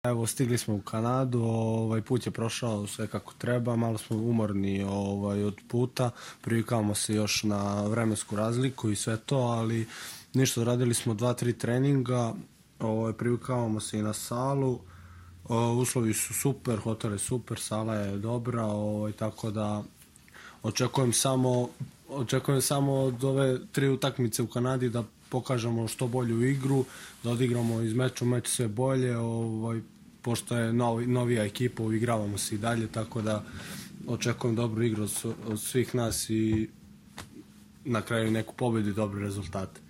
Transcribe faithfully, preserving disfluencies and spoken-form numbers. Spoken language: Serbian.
Evo, stigli smo u Kanadu, ovaj put je prošao sve kako treba, malo smo umorni ovaj, od puta, privikavamo se još na vremensku razliku i sve to, ali ništa, radili smo dva, tri treninga, ovaj, privikavamo se i na salu, ovaj, uslovi su super, hotel je super, sala je dobra, ovaj, tako da očekujem samo, očekujem samo od ove tri utakmice u Kanadi da pokažemo što bolju igru, da odigramo iz meča u meč sve bolje, ovaj, pošto je novi, novija ekipa, uigravamo se i dalje, tako da očekujem dobru igru od, od svih nas i na kraju neku pobedu i dobre rezultate.